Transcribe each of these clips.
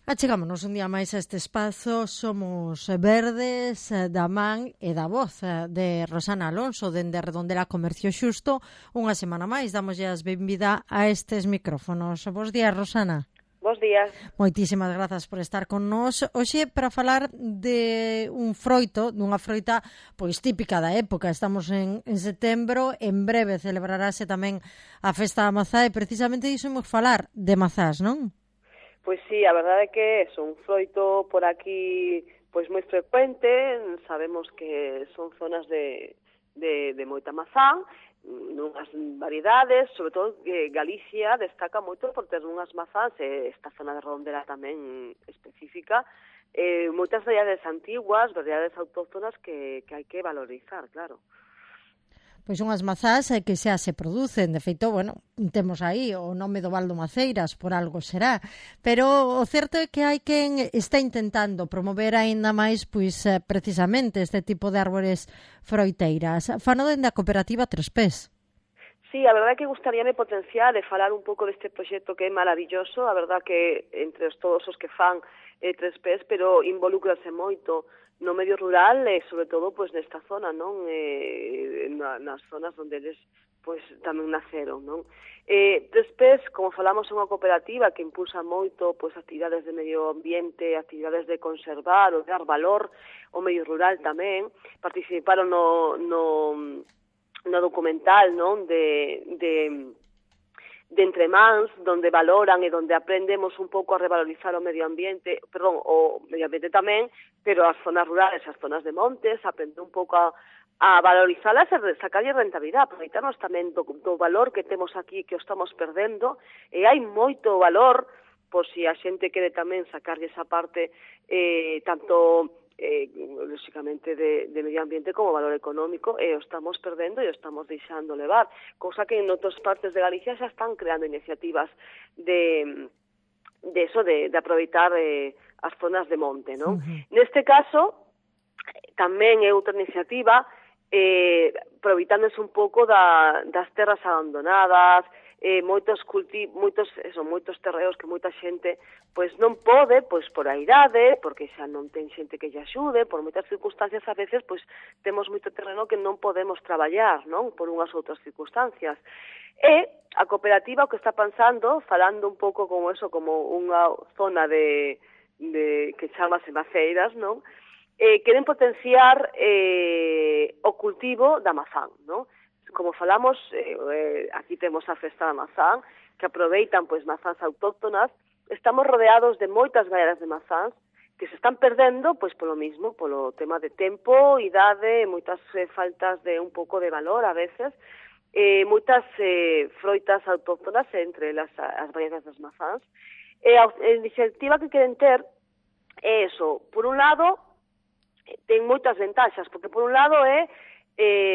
Achegámonos un día máis a este espazo. Somos Verdes, da man e da voz de Rosana Alonso, dende Redondela Comercio Xusto. Unha semana máis damoslle as benvida a estes micrófonos. Bos días, Rosana. Bos días. Moitísimas grazas por estar con nós hoxe para falar de un froito, dunha froita pois típica da época. Estamos en setembro, en breve celebrarase tamén a Festa da Mazá e precisamente diso imos falar de mazás, non? Pois sí, a verdade é que é un froito por aquí pois moi frecuente. Sabemos que son zonas de moita mazá, nunhas variedades, sobre todo que Galicia destaca moito por ter unhas mazás, esta zona de Redondela tamén específica, moitas variedades antiguas, variedades autóctonas que hai que valorizar, claro. Pois unhas mazás que xa se producen, de feito, bueno, temos aí o nome do Val do Maceiras, por algo será, pero o certo é que hai quen está intentando promover aínda máis, pois, precisamente este tipo de árbores froiteiras. Fano dende a cooperativa Tres Pés. Sí, a verdade é que gustaríame potenciar e falar un pouco deste proxecto que é maravilloso. A verdade que entre todos os que fan Tres Pés, pero involúcrase moito no medio rural e sobre todo pois nesta zona, non? Nas zonas onde eles pois tamén naceron, non? Tres Pés, como falamos, é unha cooperativa que impulsa moito pois actividades de medio ambiente, actividades de conservar ou dar valor ao medio rural tamén. Participaron no documental, non? De Entremans, donde valoran e donde aprendemos un pouco a revalorizar o medio ambiente, o medio ambiente tamén, pero as zonas rurales, as zonas de montes, aprender un pouco a valorizarlas e sacarlle rentabilidade, aproveitarnos tamén do valor que temos aquí, que o estamos perdendo, e hai moito valor, por si a xente quere tamén sacarlle esa parte, tanto lógicamente de medio ambiente como valor económico, e o estamos perdendo e o estamos deixando levar, cousa que en outras partes de Galicia xa están creando iniciativas de aproveitar as zonas de monte, non? Neste caso, tamén é outra iniciativa aproveitándose un pouco das terras abandonadas, moitos terreos que moita xente pois non pode, pois por a idade, porque xa non ten xente que lle axude, por moitas circunstancias a veces pois temos moito terreno que non podemos traballar, non? Por unhas outras circunstancias. E a cooperativa o que está pensando, falando un pouco como eso, como unha zona de que chamase Maceiras, non? Queren potenciar o cultivo da mazán, non? Como falamos, aquí temos a Festa da Mazán, que aproveitan pois mazás autóctonas. Estamos rodeados de moitas variedades de mazás que se están perdendo pois polo mismo, polo tema de tempo, idade, moitas faltas de un pouco de valor a veces, moitas froitas autóctonas entre as variedades das mazás. A iniciativa que queren ter é eso. Por un lado, ten moitas ventaxas, porque por un lado é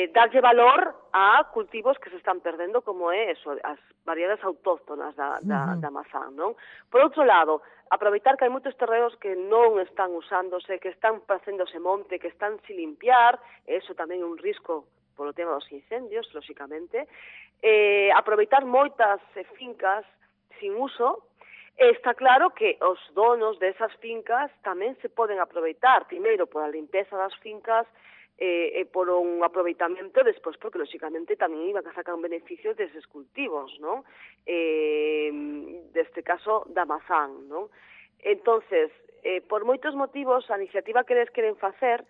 darlle valor a cultivos que se están perdendo, como é eso, as variedades autóctonas da mazán, non? Por outro lado, aproveitar que hai moitos terreos que non están usándose, que están facéndose monte, que están sin limpiar, e eso tamén é un risco polo tema dos incendios, lógicamente. Aproveitar moitas fincas sin uso. Está claro que os donos desas fincas tamén se poden aproveitar, primeiro, por a limpeza das fincas, e por un aproveitamento despois, porque lógicamente tamén iban a sacar un beneficio deses cultivos, non? Deste caso da mazán, non? Entonces, por moitos motivos, a iniciativa que eles queren facer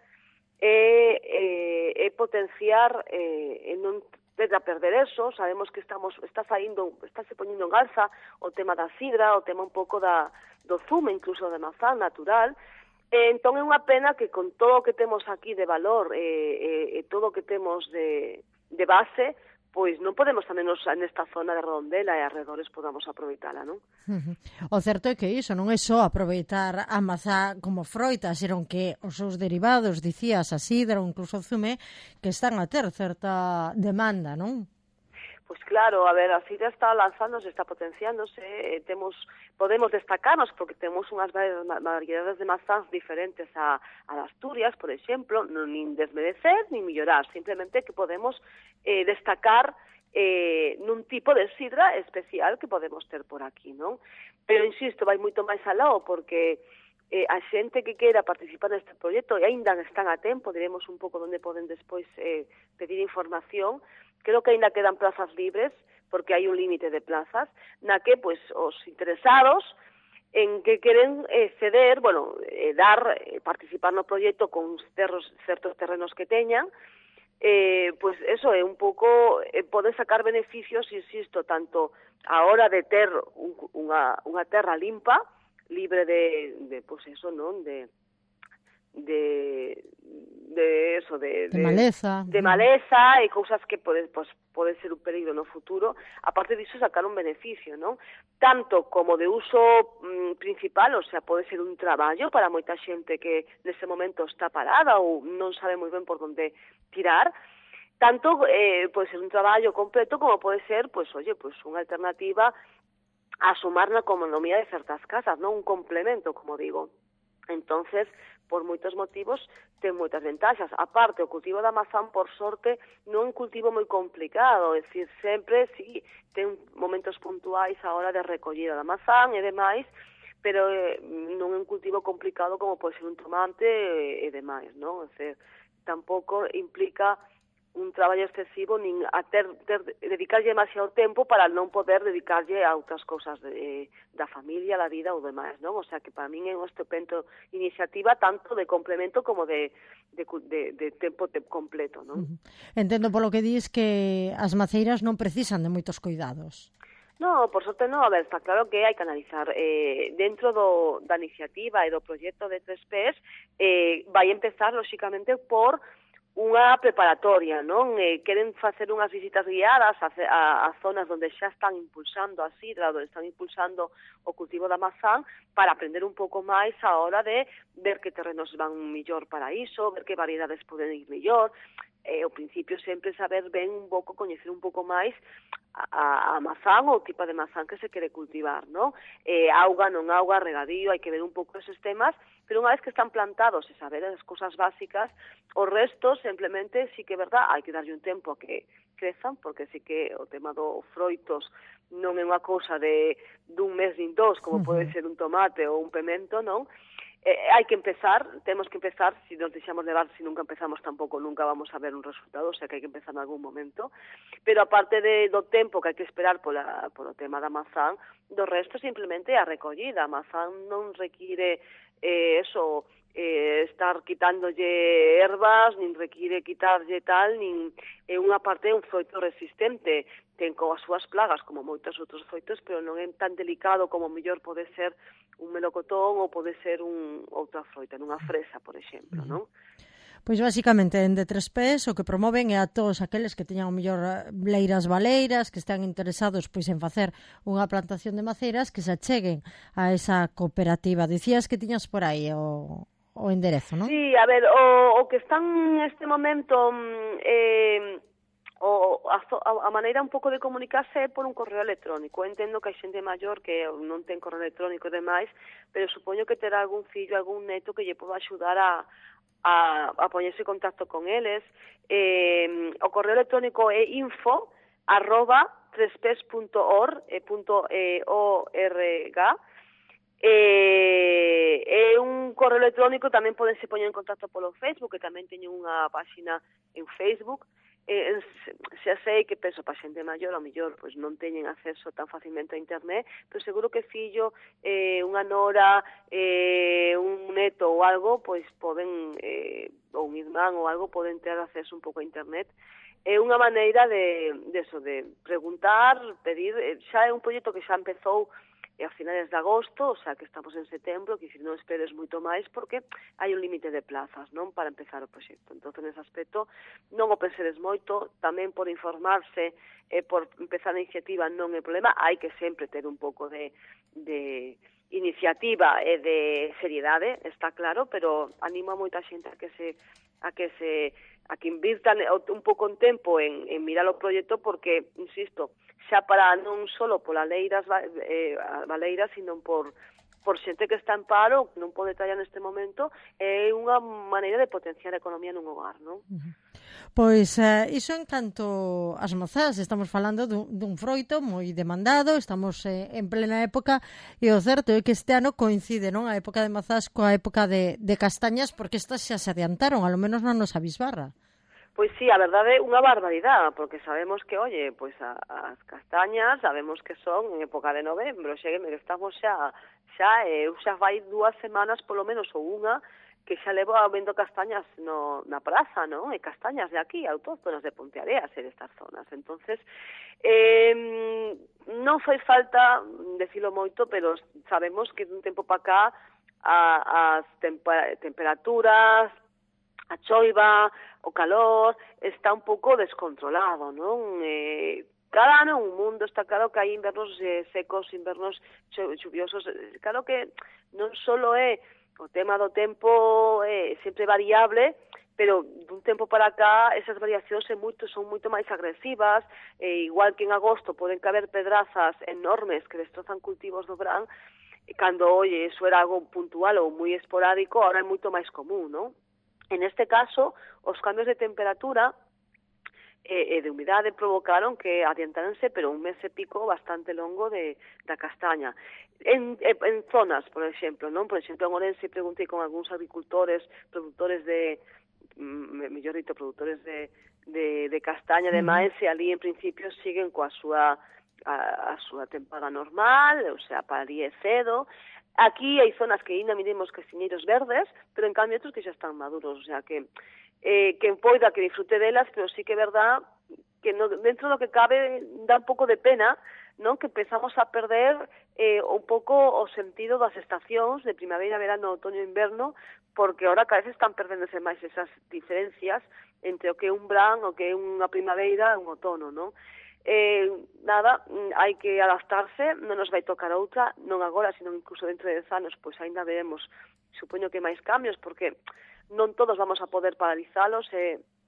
é potenciar e non a perder eso. Sabemos que está se poñendo en alza o tema da sidra, o tema un pouco do zume, incluso de mazán natural. Entón é unha pena que con todo o que temos aquí de valor e todo o que temos de base, pois non podemos tamén nesta zona de Redondela e arredores podamos aproveitala, non? O certo é que iso non é só aproveitar a mazá como froita, senón que os seus derivados, dicías, a sidra ou incluso o zume, que están a ter certa demanda, non? Pois claro, a ver, a sidra está lanzándose, está potenciándose, podemos destacarnos porque temos unhas variedades de mazás diferentes a Asturias, por exemplo, non nin desmerecer nin mellorar, simplemente que podemos destacar nun tipo de sidra especial que podemos ter por aquí, non? Pero, insisto, vai moito máis aló, porque a xente que queira participar neste proxecto e aínda están a tempo, diremos un pouco onde poden despois pedir información. Creo que aínda quedan plazas libres, porque hai un límite de plazas, na que pois os interesados en que queren ceder, participar no proxecto con certos terrenos que teñan, pois eso é un pouco, poden sacar beneficios, insisto, tanto a hora de ter unha terra limpa, libre de pois eso, non? De maleza. De maleza e cousas que pode ser un peligro no futuro. Aparte disso, sacar un beneficio, non? Tanto como de uso principal, o sea, pode ser un traballo para moita xente que nese momento está parada ou non sabe moi ben por onde tirar. Tanto pode ser un traballo completo como pode ser, unha alternativa a sumar na economía de certas casas, non? Un complemento, como digo. Entonces, por moitos motivos, ten moitas ventaxas. Aparte, o cultivo da mazán, por sorte, non é un cultivo moi complicado, é dicir, sempre, sí, ten momentos puntuais a hora de recollida da mazán e demais, pero non é un cultivo complicado como pode ser un tomate e demais, non? É dicir, tampouco implica un traballo excesivo nin a dedicarlle demasiado tempo para non poder dedicarlle a outras cousas da familia, da vida ou demais, non? O sea, que para min é unha estupenda iniciativa tanto de complemento como de tempo completo, non? Entendo polo que dis que as maceiras non precisan de moitos cuidados. No, por sorte non, a ver, está claro que hai que analizar dentro da iniciativa e do proxecto de 3Ps vai empezar, lóxicamente, por unha preparatoria, non? Queren facer unhas visitas guiadas a zonas onde xa están impulsando a sidra, onde están impulsando o cultivo da mazán, para aprender un pouco máis a hora de ver que terrenos van millor para iso, ver que variedades poden ir millor. Ao principio sempre saber ben un pouco, coñecer un pouco máis a mazán ou o tipo de mazán que se quere cultivar, non? Auga, non auga, regadío, hai que ver un pouco esos temas, pero unha vez que están plantados e saber as cousas básicas, o resto simplemente sí que é verdad, hai que darlle un tempo a que crezan, porque sí que o tema do froitos non é unha cousa dun mes nin dos, como pode ser un tomate ou un pemento, non? Hai que empezar, temos que empezar, se nos deixamos levar, se nunca empezamos tampouco nunca vamos a ver un resultado, o sea que hai que empezar en algún momento, pero aparte do tempo que hai que esperar polo tema da mazán, do resto simplemente a recollida. A mazán non require estar quitándolle ervas, nin require quitarlle tal, nin é unha parte un froito resistente, ten coas súas plagas como moitos outros froitos, pero non é tan delicado como mellor pode ser un melocotón ou pode ser outra froita, nunha fresa, por exemplo, non? Pois basicamente en D3Ps o que promoven é a todos aqueles que teñan o mellor leiras baleiras, que están interesados pois en facer unha plantación de maceiras, que se acheguen a esa cooperativa. Dicías que tiñas por aí o enderezo, non? Sí, a ver, o que están neste momento a maneira un pouco de comunicarse é por un correo electrónico. Entendo que hai xente maior que non ten correo electrónico e demais, pero supoño que terá algún fillo, algún neto que lle poda axudar a poñerse en contacto con eles. O correo electrónico é info@3ps.org. É un correo electrónico, tamén podense poñer en contacto polo Facebook, que tamén teño unha páxina en Facebook. Xa sei que penso para xente maior, ao mellor pois non teñen acceso tan facilmente a internet, pero seguro que fillo, unha nora, un neto ou algo, pois poden, ou un irmán ou algo, poden ter acceso un pouco a internet. É unha maneira de preguntar, pedir. Xa é un proxecto que xa empezou a finales de agosto, o sea que estamos en setembro, que non esperes moito máis porque hai un límite de plazas, non, para empezar o proxecto. Entón, nese aspecto, non o penseres moito, tamén por informarse, por empezar a iniciativa non é problema, hai que sempre ter un pouco de iniciativa e de seriedade, está claro, pero animo a moita xente a que invirtan un pouco en tempo en mirar o proxecto, porque, insisto, xa para non só polas leiras baleiras, sino por por xente que está en paro, que non pode traballar neste momento, é unha maneira de potenciar a economía nun hogar, non? Pois iso en canto ás mazás, estamos falando dun froito moi demandado, estamos en plena época, e o certo é que este ano coincide, non, a época de mazás coa época de castañas, porque estas xa se adiantaron, alo menos na nosa bisbarra. Pois sí, a verdade é unha barbaridade, porque sabemos que, oye, pois as castañas, sabemos que son en época de novembro, xegueme que estamos eu xa vai 2 semanas, polo menos, ou unha, que xa levo vendo castañas na praza, non? E castañas de aquí, autóctonas de Ponteareas e destas zonas. Entonces, non fai falta decilo moito, pero sabemos que dun tempo para cá as temperaturas, a choiva, o calor, está un pouco descontrolado, non? Cada ano un mundo, está claro que hai invernos secos, invernos chuviosos, claro que non só é o tema do tempo sempre variable, pero dun tempo para cá esas variacións son moito máis agresivas, igual que en agosto poden caber pedrazas enormes que destrozan cultivos do verán, cando, oye, eso era algo puntual ou moi esporádico, ahora é moito máis común, non? En este caso, os cambios de temperatura e de humidade provocaron que adiantaranse, pero un mes e pico bastante longo da castaña. En zonas, por exemplo, non? Por exemplo, en Ourense preguntei con algúns agricultores, produtores produtores de castaña, de maíz, e ali en principio siguen coa súa tempada normal, o sea, para ali é cedo. Aquí hai zonas que ainda miremos casiñeiros verdes, pero en cambio outros que xa están maduros, o sea que quen poida que disfrute delas, pero sí que é verdad que dentro do que cabe dá un pouco de pena, non, que empezamos a perder un pouco o sentido das estacións de primavera, verano, outoño e inverno, porque ahora cada vez están perdéndose máis esas diferencias entre o que é un verán, o que é unha primavera e un outono, non? Nada, hai que adaptarse, non nos vai tocar outra, non agora, sino incluso dentro de 10 anos, pois ainda veremos, supoño que máis cambios, porque non todos vamos a poder paralizalos,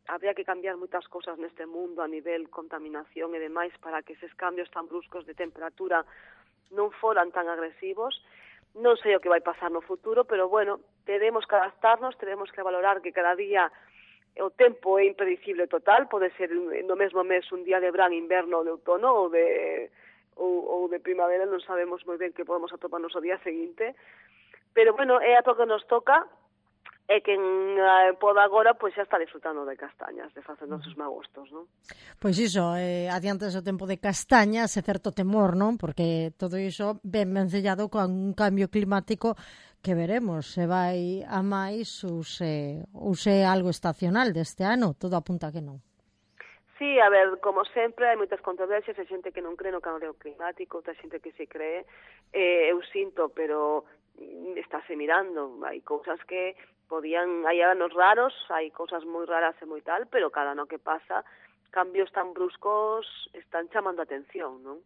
habría que cambiar moitas cousas neste mundo a nivel contaminación e demais para que eses cambios tan bruscos de temperatura non foran tan agresivos. Non sei o que vai pasar no futuro, pero bueno, teremos que adaptarnos, teremos que valorar que cada día o tempo é impredicible total, pode ser no mesmo mes un día de verán, inverno ou de outono ou de primavera, non sabemos moi ben que podemos atoparnos o día seguinte, pero bueno, é a to que nos toca, e quen poda agora pois xa está disfrutando de castañas, de facer nosos magostos, non? Pois iso, adiantes o tempo de castañas e certo temor, non? Porque todo iso ben vencellado con un cambio climático que veremos se vai a máis ou se é algo estacional deste ano, todo apunta que non. Sí, a ver, como sempre, hai moitas controversias, hai xente que non cree no cambio climático, outra xente que se cree, eu sinto, pero estáse mirando, hai cousas que hai anos raros, hai cousas moi raras e moi tal, pero cada ano que pasa, cambios tan bruscos están chamando a atención, non?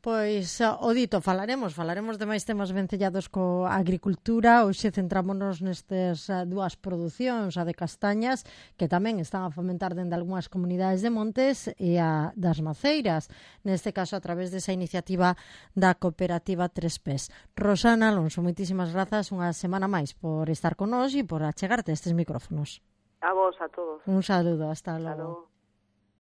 Pois, o dito, falaremos de máis temas vencellados coa agricultura. Hoxe centrámonos nestes dúas producións, a de castañas, que tamén están a fomentar dende algunhas comunidades de montes, e a das maceiras, neste caso a través desa iniciativa da cooperativa Tres Pés. Rosana Alonso, moitísimas grazas unha semana máis por estar con nós e por achegarte a estes micrófonos. A vos, a todos. Un saludo, hasta logo.